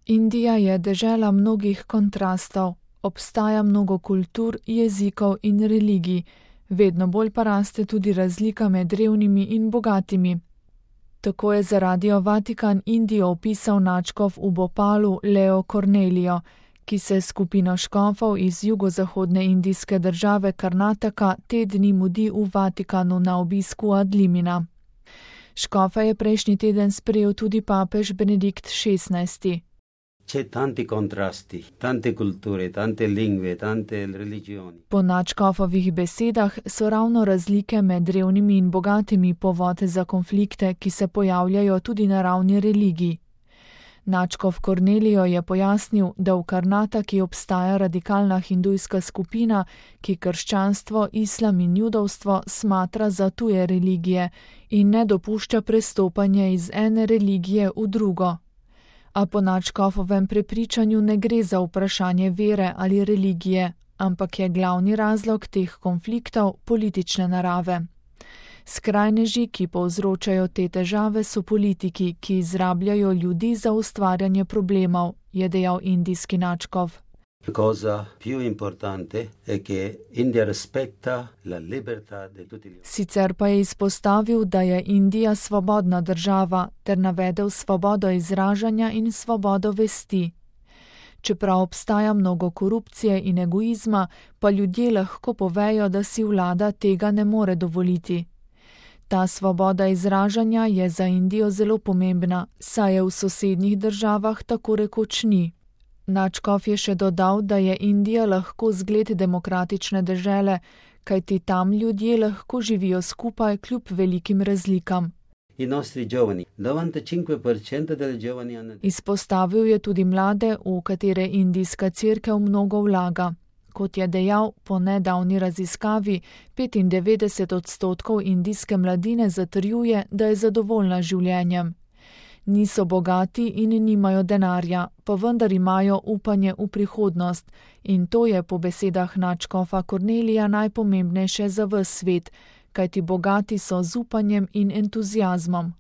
Indija je dežela mnogih kontrastov, obstaja mnogo kultur, jezikov in religij, vedno bolj pa raste tudi razlika med revnimi in bogatimi. Tako je za Radio Vatikan Indijo opisal nadškof v Bhopalu Leo Cornelio, ki se skupino škofov iz jugozahodne indijske države Karnataka te dni mudi v Vatikanu na obisku ad limina. Škofa je prejšnji teden sprejel tudi papež Benedikt XVI. Po nadškofovih besedah so ravno razlike med revnimi in bogatimi povod za konflikte, ki se pojavljajo tudi na ravni religij. Nadškof Cornelio je pojasnil, da v Karnataki obstaja radikalna hindujska skupina, ki krščanstvo, islam in judovstvo smatra za tuje religije in ne dopušča prestopanje iz ene religije v drugo. A po nadškofovem prepričanju ne gre za vprašanje vere ali religije, ampak je glavni razlog teh konfliktov politične narave. Skrajneži, ki povzročajo te težave, so politiki, ki izrabljajo ljudi za ustvarjanje problemov, je dejal indijski nadškof. Sicer pa je izpostavil, da je Indija svobodna država, ter navedel svobodo izražanja in svobodo vesti. Čeprav obstaja mnogo korupcije in egoizma, pa ljudje lahko povejo, da si vlada tega ne more dovoliti. Ta svoboda izražanja je za Indijo zelo pomembna, saj je v sosednjih državah tako rekoč ni. Nadškof je še dodal, da je Indija lahko zgled demokratične dežele, kajti tam ljudje lahko živijo skupaj kljub velikim razlikam. Izpostavil je tudi mlade, v katere indijska cerkev mnogo vlaga. Kot je dejal, po nedavni raziskavi 95% indijske mladine zatrjuje, da je zadovoljna življenjem. Niso bogati in nimajo denarja, pa vendar imajo upanje v prihodnost in to je po besedah nadškofa Cornelija najpomembnejše za ves svet, kajti bogati so z upanjem in entuziazmom.